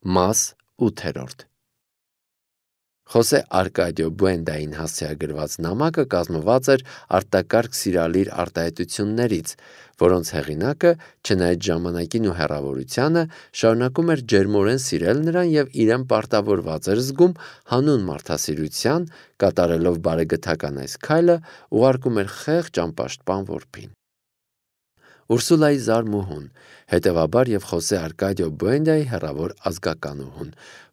Մաս 8. Խոսե Արկադիո Բուենդային հասցեագրված նամակը կազմված էր արտակարգ սիրալիր արտահայտություններից, որոնց հեղինակը, չնայած ժամանակին ու հեռավորությանը, շարունակում էր ջերմորեն սիրել նրան և իրեն պարտավորված էր զգում հանուն մարդասիրության, կատարելով բարեգթական այս քայլը, ուղարկում էր խեղճ անպաշտպան որբին։ Ուրսուլայի զարմուհուն, հետևաբար և Խոսե Արկադիո Բուենդայի հեռավոր ազգականուհուն,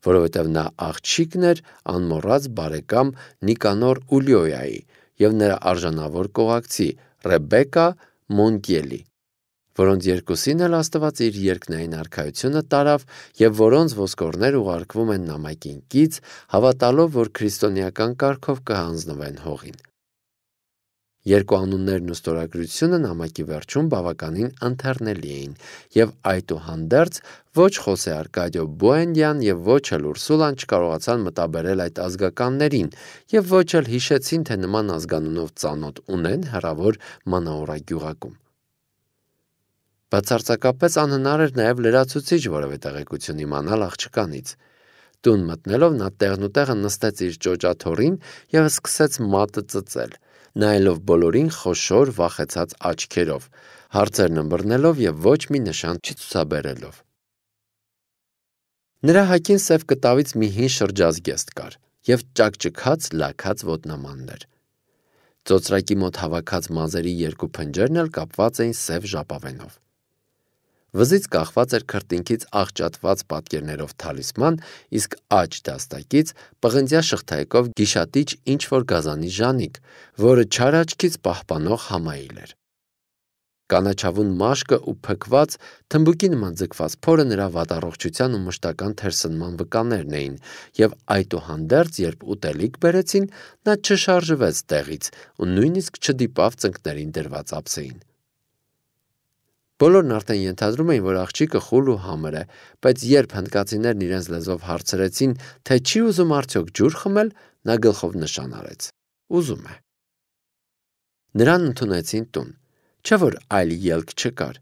որովհետև նա աղջիկն էր անմոռաց բարեկամ Նիկանոր Ուլիոյայի և նրա արժանավոր կողակցի Ռեբեկա Մոնտիելի, որոնց երկուսին էլ Աստված իր երկնային արքայությունը տարավ և որոնց ոսկորներ ուղարկվում են նամակին կից, հավատալով, որ քրիստոնեական կարգով կհանձնվեն հողին։ Երկու անուններն ու ստորագրությունը նամակի վերջում բավականին ընթեռնելի էին, և այդուհանդերձ ոչ Խոսե Արկադիո Բուենդյան և ոչ էլ Ուրսուլան չկարողացան մտաբերել այդ ազգականներին և ոչ էլ հիշեցին, թե նման ազգանունով ծանոթ ունեն հեռավոր Մանաուրա գյուղակում։ Բացարձակապես անհնար էր նաև լրացուցիչ որևէ տեղեկություն իմանալ աղջկանից։ Տուն մտնելով նա տեղնուտեղը նստեց իր ճոճաթոռին և սկսեց մատը ծծել, նայելով բոլորին խոշոր վախեցած աչքերով, հարցերն ըմբռնելով և ոչ մի նշան չցուցաբերելով։ Նրա հագին սև կտավից մի հին շրջազգեստ կար և ճաքճքած լաքած ոտնամաններ։ Ծոծրակի մոտ հավաքած մազերի երկու փնջերն էլ կապված էին սև ժապավենով։ Վզից կախված էր քրտինքից աղճատված պատկերներով թալիսման, իսկ աջ դաստակից պղնձյա շղթայքով գիշատիչ ինչ-որ գազանի ժանիք, որը չար աչքից պահպանող համայիլ էր։ Կանաչավուն մաշկը ու փքված, թմբուկի նման ձգված փորը նրա վատառողջության ու մշտական թերսնման վկաներն էին, և այդուհանդերձ, երբ ուտելիք բերեցին, նա չշարժվեց տեղից ու նույնիսկ չդիպավ ծնկներին դրված ափսեին։ Բոլորն արդեն ենթադրում էին, որ աղջիկը խուլ ու համր է, բայց երբ հնդկացիներն իրենց լեզվով հարցրեցին, թե չի ուզում արդյոք ջուր խմել, նա գլխով նշան արեց. ուզում է։ Նրան ընդունեցին տուն, չէ՞ որ այլ ելք չկար։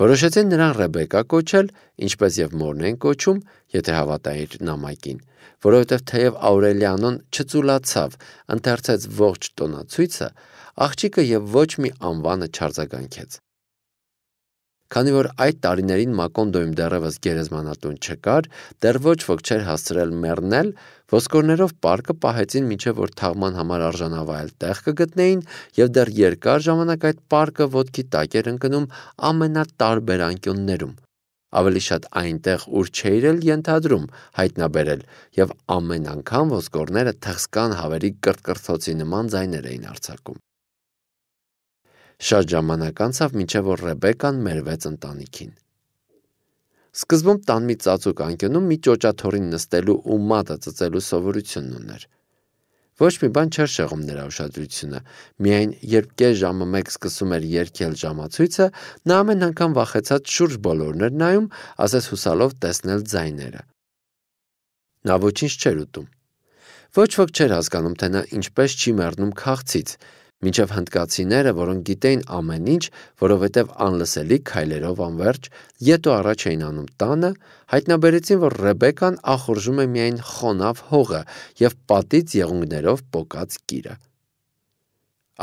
Որոշեցին նրան Ռեբեկա կոչել, ինչպես և մորն էին կոչում, եթե հավատայիր նամակին, որովհետև թեև Աուրելիանոն չծուլացավ, ընթերցեց ողջ տոնացույցը, աղջիկը և ոչ մի անվանը չարձագանքեց։ Քանի որ այդ տարիներին Մակոնդոյում դեռևս գերեզմանատուն չկար, դեռ ոչ ոք չէր հասցրել մեռնել, ոսկորներով պարկը պահեցին մինչև որ թաղման համար արժանավայել տեղ կգտնեին, և դեռ երկար ժամանակ այդ պարկը ոտքի տակ էր ընկնում ամենատարբեր անկյուններում, ավելի շատ այնտեղ, ուր չէիր էլ ենթադրում հայտնաբերել, և ամեն անգամ ոսկորները թխսկան հավերի կրթկրթոցի նման ձայներ էին արձակում։ Շատ ժամանակ անցավ, մինչև որ Ռեբեկան մերվեց ընտանիքին։ Սկզբում տան մի ծածուկ անկյունում մի ճոճաթոռին նստելու ու մատը ծծելու սովորությունն ուներ։ Ոչ մի բան չէր շեղում նրա ուշադրությունը, միայն երբ կես ժամը մեկ սկսում էր երգել ժամացույցը, նա ամեն անգամ վախեցած շուրջ բոլորն էր նայում, ասես հուսալով տեսնել ձայները։ Նա ոչինչ չէր ուտում։ Ոչ ոք չէր հասկանում, թե նա ինչպես չի մեռնում քաղցից, մինչև հնդկացիները, որոնք գիտեին ամեն ինչ, որովհետև անլսելի քայլերով անվերջ ետ ու առաջ էին անում տանը, հայտնաբերեցին, որ Ռեբեկան ախորժում է միայն խոնավ հողը և պատից եղունգներով պոկած կիրը։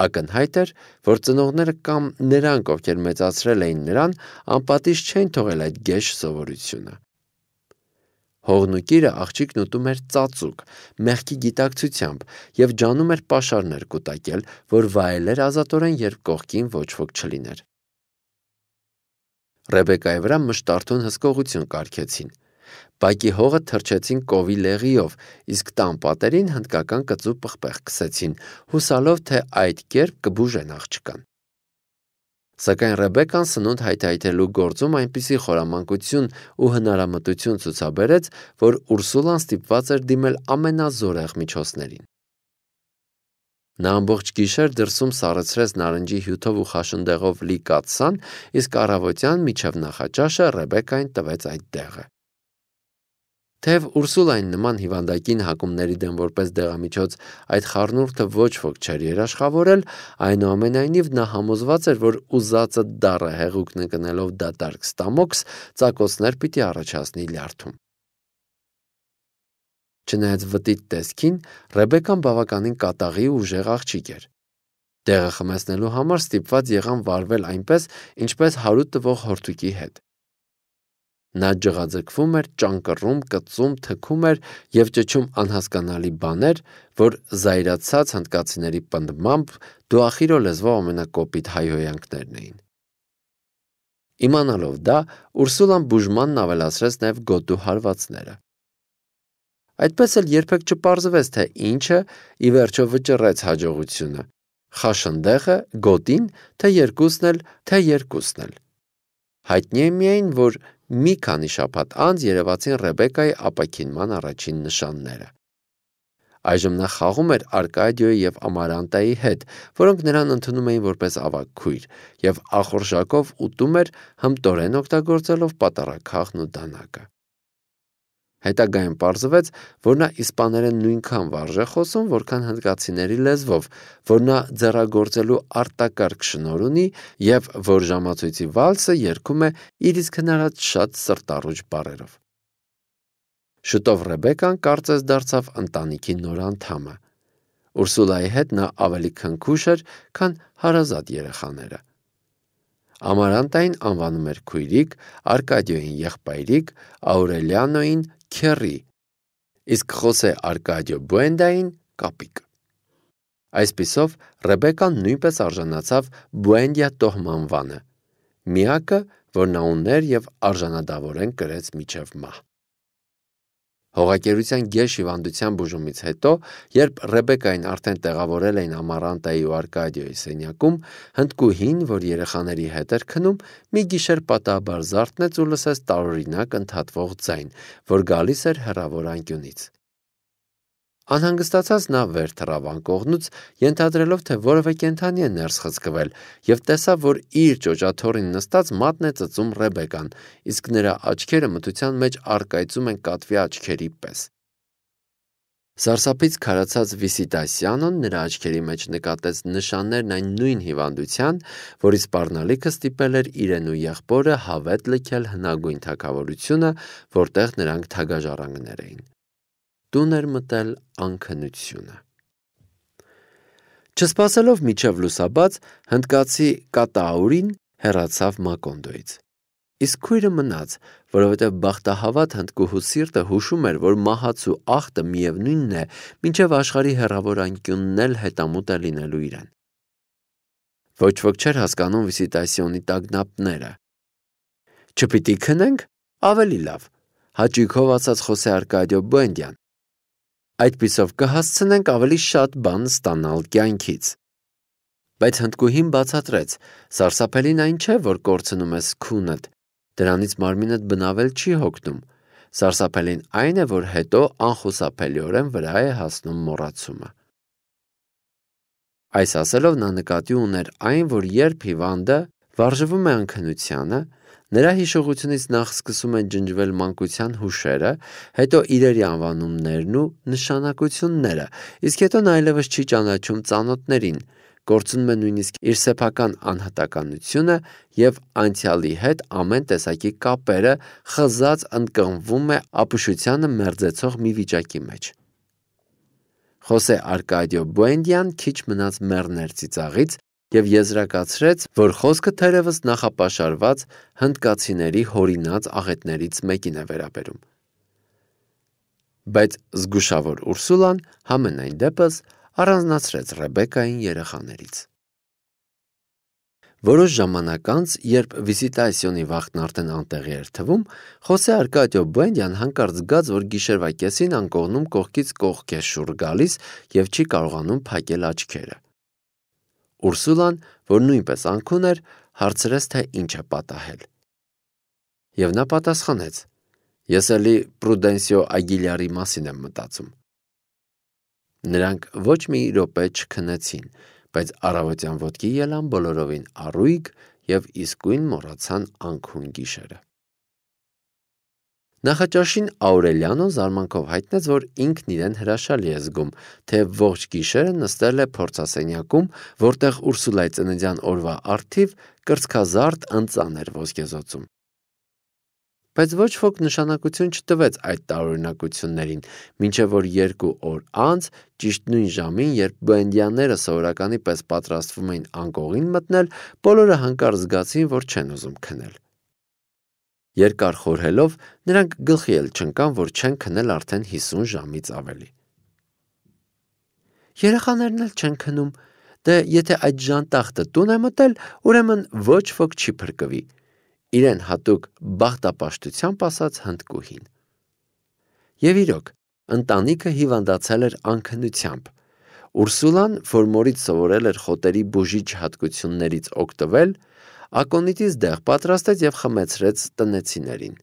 Ակնհայտ էր, որ ծնողները կամ նրանք, ովքեր մեծացրել էին նրան, անպատիժ չէին թողել այդ գեշ սովորությունը։ Հողն ու կիրը աղջիկն ուտում էր ծածուկ, մեղքի գիտակցությամբ և ջանում էր պաշարներ կուտակել, որ վայելեր ազատորեն, երբ կողքին ոչ ոք չլիներ։ Ռեբեկայի վրա մշտարթուն հսկողություն կարգեցին։ Բակի հողը թրջեցին կովի լեղիով, իսկ տան պատերին հնդկական կծու պղպեղ քսեցին, հուսալով, թե այդ կերպ կբուժեն աղջկան։ Սակայն Ռեբեկան սնունդ հայթայթելու գործում այնպիսի խորամանկություն ու հնարամտություն ցուցաբերեց, որ Ուրսուլան ստիպված էր դիմել ամենազորեղ միջոցներին։ Նա ամբողջ գիշեր դրսում սառեցրեց նարնջի հյութով ու խաշնդեղով լի կաթսան, իսկ առավոտյան մինչև նախաճաշը Ռեբեկային տվեց այդ դեղը։ Թեև Ուրսուլային նման հիվանդակին հակումների դեմ որպես դեղամիջոց այդ խառնուրդը ոչ ոք չէր երաշխավորել, այնուամենայնիվ նա համոզված էր, որ ուզածը դառը հեղուկն ընկնելով դատարկ ստամոքս ծակոցներ պիտի առաջացնի լյարդում։ Չնայած վտիտ տեսքին, Ռեբեկան բավականին կատաղի ու ուժեղ աղջիկ էր։ Տեղը խմեցնելու համար ստիպված եղան վարվել այնպես, ինչպես հարուտ տվող հորդուկի հետ։ Նա ջղաձգվում էր, ճանկռում, կծում, թքում էր և ճչում անհասկանալի բաներ, որ զայրացած հնդկացիների պնդմամբ դուախիրո լեզվով ամենակոպիտ հայհոյանքներն էին։ Իմանալով դա, Ուրսուլան բուժմանն ավելացրեց նաև գոտու հարվածները։ Այդպես էլ երբեք չպարզվեց, թե ինչը ի վերջո վճռեց հաջողությունը՝ խաշնդեղը, գոտին, թե երկուսն էլ։ Հայտնի է միայն, որ մի քանի շաբաթ անց երևացին Ռեբեկայի ապաքինման առաջին նշանները։ Այժմ նա խաղում էր Արկադիոյի և Ամարանտայի հետ, որոնք նրան ընդունում էին որպես ավագ քույր, և ախորժակով ուտում էր, հմտորեն օգտագործելով պատառաքաղն ու դանակը։ Հետագայում պարզվեց, որ նա իսպաներեն նույնքան վարժ է խոսում, որքան հնդկացիների լեզվով, որ նա ձեռագործելու արտակարգ շնորհ ունի և որ ժամացույցի վալսը երգում է իր իսկ հնարած շատ սրտառուչ բառերով։ Շուտով Ռեբեկան կարծես դարձավ ընտանիքի նոր անդամը։ Ուրսուլայի հետ նա ավելի քնքուշ էր, քան հարազատ երեխաները։ Ամարանտային անվանում էր քույրիկ, Արկադիոյին եղբայրիկ, Աուրելիանոյին քեռի, իսկ Խոսե Արկադիո Բուենդային կապիկ։ Այսպիսով Ռեբեկան նույնպես արժանացավ Բուենդիա տոհմանվանը, միակը, որ նա ուներ և արժանադավորեն կրեց մինչև մահ։ Հողակերության գեշ հիվանդության բուժումից հետո, երբ Ռեբեկային արդեն տեղավորել էին Ամարանտայի ու Արկադիոյի սենյակում, հնդկուհին, որ երեխաների հետ էր քնում, մի գիշեր պատահաբար զարթնեց ու լսեց տարօրինակ ընդհատվող ձայն, որ գալիս էր հեռավոր անկյունից։ Անհանգստացած նա վեր թռավ անկողնուց, ենթադրելով, թե որևէ կենդանի է ներս խցկվել, և տեսավ, որ իր ճոճաթոռին նստած մատն է ծծում Ռեբեկան, իսկ նրա աչքերը մթության մեջ առկայծում են կատվի աչքերի պես։ Սարսափից քարացած Վիսիտասյանոն նրա աչքերի մեջ նկատեց նշաններն այն նույն հիվանդության, որի սպառնալիքը ստիպել էր իրեն ու եղբորը հավետ լքել հնագույն թագավորությունը, որտեղ նրանք թագաժառանգներ էին։ Տուն էր մտել անքնությունը։ Չսպասելով մինչև լուսաբաց, հնդկացի Կատաուրին հեռացավ Մակոնդոյից։ Իսկ քույրը մնաց, որովհետև բախտահավատ հնդկուհու սիրտը հուշում էր, որ մահացու ախտը միևնույնն է, մինչև աշխարհի հեռավոր անկյունն էլ հետամուտ է լինելու իրեն։ Ոչ ոք չէր հասկանում Վիսիտասիոնի տագնապները։ Չպիտի քնենք, ավելի լավ, հաճույքով ասաց Խոսե Արկադիո Բուենդյան։ Այդպիսով կհասցնենք ավելի շատ բան ստանալ կյանքից։ Բայց հնդկուհին բացատրեց. սարսափելին այն չէ, որ կորցնում ես քունդ, դրանից մարմինդ բնավել չի հոգնում։ Սարսափելին այն է, որ հետո անխուսափելիորեն վրա է հասնում մոռացումը։ Այս ասելով նա նկատի ուներ այն, որ երբ հիվանդը վարժվում է անքնությանը, նրա հիշողությունից նախ սկսում են ջնջվել մանկության հուշերը, հետո իրերի անվանումներն ու նշանակությունները, իսկ հետո նա այլևս չի ճանաչում ծանոթներին, կորցնում է նույնիսկ իր սեփական անհատականությունը և անցյալի հետ ամեն տեսակի կապերը, խզած ընկղմվում է ապուշությանը մերձեցող մի վիճակի մեջ։ Խոսե Արկադիո Բուենդյան քիչ մնաց մեռներ ծիծաղից և եզրակացրեց, որ խոսքը թերևս նախապաշարված հնդկացիների հորինած աղետներից մեկին է վերաբերում։ Բայց զգուշավոր Ուրսուլան համենայն դեպս առանձնացրեց Ռեբեկային երեխաներից։ Որոշ ժամանակ անց, երբ Վիսիտասիոնի վախտն արդեն անտեղի էր թվում, Խոսե Արկադիո Բուենդյան հանկարծ զգաց, որ գիշերվա կեսին անկողնում կողքից կողք է շուռ գալիս և չի կարողանում փակել աչքերը։ Ուրսուլան, որ նույնպես անքուն էր, հարցրեց, թե ինչ է պատահել։ Եվ նա պատասխանեց. ես էլի Պրուդենսիո Ագիլյարի մասին եմ մտածում։ Նրանք ոչ մի րոպե չքնեցին, բայց առավոտյան ոտքի ելան բոլորովին առույգ և իսկույն մոռացան անքուն գիշերը։ Նախաճաշին Աուրելիանոն զարմանքով հայտնեց, որ ինքն իրեն հրաշալի է զգում, թեև ողջ գիշերը նստել է փորձասենյակում, որտեղ Ուրսուլայի ծննդյան օրվա առթիվ կրծքազարդ ընծան էր ոսկեզօծում։ Բայց ոչ ոք նշանակություն չտվեց այդ տարօրինակություններին, մինչև որ 2 օր անց, ճիշտ նույն ժամին, երբ բոենդյանները սովորականի պես պատրաստվում էին անկողին մտնել, բոլորը հանկարծ զգացին, որ չեն ուզում քնել։ Երկար խորհելով, նրանք գլխի էլ չընկան, որ չեն քնել արդեն 50 ժամից ավելի։ Երեխաներն էլ չեն քնում, դե եթե այդ ժանտախտը տուն է մտել, ուրեմն ոչ ոք չի փրկվի, իրեն հատուկ բախտապաշտությամբ ասաց հնդկուհին։ Եվ իրոք, ընտանիքը հիվանդացել էր անքնությամբ։ Ուրսուլան, որ մորից սովորել էր խոտերի բուժիչ հատկություններից օգտվել, ակոնիտից դեղ պատրաստեց եւ խմեցրեց տնեցիներին։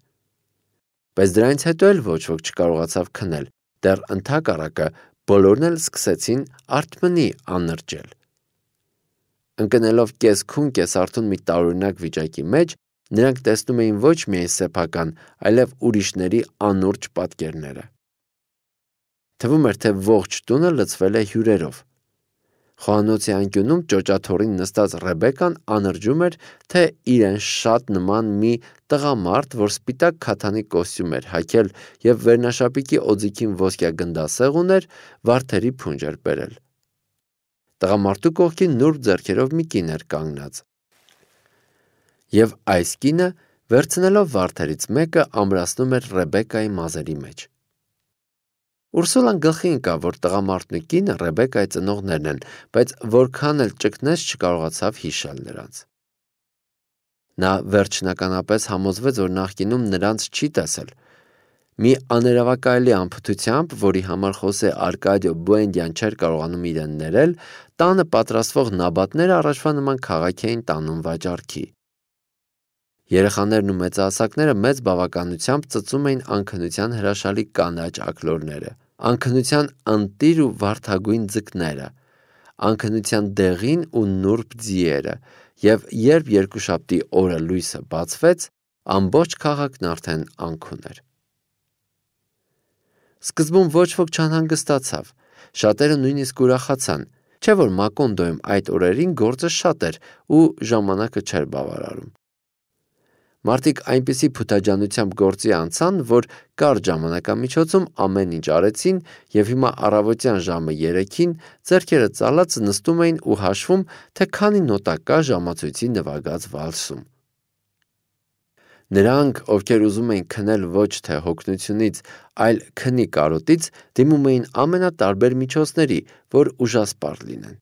Բայց դրանից հետո էլ ոչ ոք չկարողացավ քնել, դեռ ընդհակառակը բոլորն էլ սկսեցին արթմնի աննրջել։ Ընկնելով կես-քուն կես-արթուն մի տարօրինակ վիճակի մեջ, նրանք տեսնում էին ոչ միայն սեփական, այլև ուրիշների անուրջ պատկերները։ Թվում էր, թե ողջ տունը լցվել է հյուրերով։ Խոհանոցի անկյունում ճոճաթոռին նստած Ռեբեկան անրջում էր, թե իրեն շատ նման մի տղամարդ, որ սպիտակ քաթանի կոստյում էր հագել եւ վերնաշապիկի օձիքին ոսկյա գնդասեղ ուներ, վարդերի փունջ էր բերել։ Տղամարդու կողքին նուրբ ձեռքերով մի կին էր կանգնած։ Եվ այս կինը, վերցնելով վարդերից մեկը, ամրացնում էր Ռեբեկայի մազերի մեջ։ Ուրսուլան գլխի ընկավ, որ տղամարդն ու կինը Ռեբեկայի ծնողներն են, բայց որքան էլ ճկնեց չկարողացավ հիշել նրանց։ Նա վերջնականապես համոզվեց, որ նախկինում նրանց չի տեսել։ Մի աներևակայելի անփութությամբ, որի համար Խոսե Արկադիո Բուենդյան չէր կարողանում իրեն ներել, տանը պատրաստվող նաբատները առաջվա նման քաղաք էին տանում վաճառքի։ Երեխաներն ու մեծահասակները մեծ բավականությամբ ծծում էին անքնության հրաշալի կանաչ աքլորները, անքնության ընտիր ու վարդագույն ձկները, անքնության դեղին ու նուրբ ձիերը, եւ երբ երկուշաբթի օրը լույսը բացվեց, ամբողջ քաղաքն արդեն անքուն էր։ Սկզբում ոչ ոք չանհանգստացավ, շատերը նույնիսկ ուրախացան, չէ՞ որ Մակոնդոյում այդ օրերին գործը շատ էր ու ժամանակը չէր բավարարում։ Մարդիկ այնպիսի փութաջանությամբ գործի անցան, որ կարճ ժամանակամիջոցում ամեն ինչ արեցին եւ հիմա առավոտյան ժամը 3-ին ձեռքերը ծալած նստում էին ու հաշվում, թե քանի նոտա կա ժամացույցի նվագած վալսում։ Նրանք, ովքեր ուզում էին քնել ոչ թե հոգնությունից, այլ քնի կարոտից, դիմում էին ամենատարբեր միջոցների, որ ուժասպառ լինեն։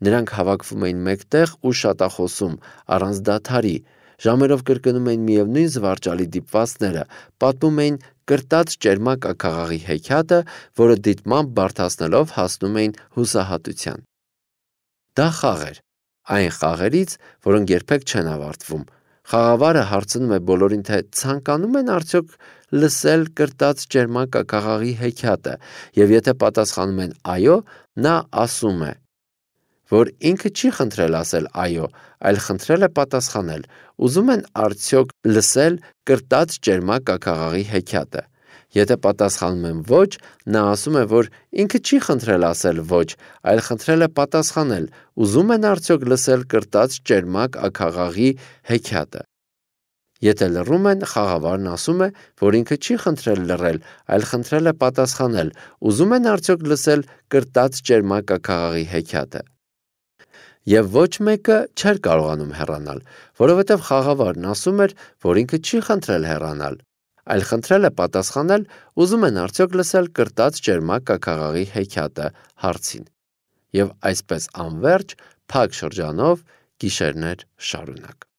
Նրանք հավաքվում էին մեկտեղ ու շատախոսում, առանց դադարի, ժամերով կրկնում էին միևնույն զվարճալի դիպվածները, պատմում էին կրտած ճերմակ աքաղաղի հեքիաթը, որը դիտմամբ բարդացնելով հասնում էին հուսահատության։ Դա խաղ էր, այն խաղերից, որոնք երբեք չեն ավարտվում։ Խաղավարը հարցնում է բոլորին, թե ցանկանում են արդյոք լսել կրտած ճերմակ աքաղաղի հեքիաթը, եւ եթե պատասխանում են այո, նա ասում է, որ ինքը չի խնդրել ասել այո, այլ խնդրել է պատասխանել, ուզում են արդյոք լսել կրտած ճերմակ աքաղաղի հեքիաթը։ Եթե պատասխանում են ոչ, նա ասում է, որ ինքը չի խնդրել ասել ոչ, այլ խնդրել է պատասխանել, ուզում են արդյոք լսել կրտած ճերմակ աքաղաղի հեքիաթը։ Եթե լռում են, խաղավարն ասում է, որ ինքը չի խնդրել լռել, այլ խնդրել է պատասխանել, ուզում են արդյոք լսել կրտած ճերմակ աքաղաղի հեքիաթը։ Եվ ոչ մեկը չէր կարողանում հեռանալ, որովհետև խաղավարն ասում էր, որ ինքը չի խնդրել հեռանալ, այլ խնդրել է պատասխանել, ուզում են արդյոք լսել կրտած ճերմակ աքաղաղի հեքիաթը հարցին։ Եվ այսպես անverջ, փակ շրջանով գիշերներ շարունակ։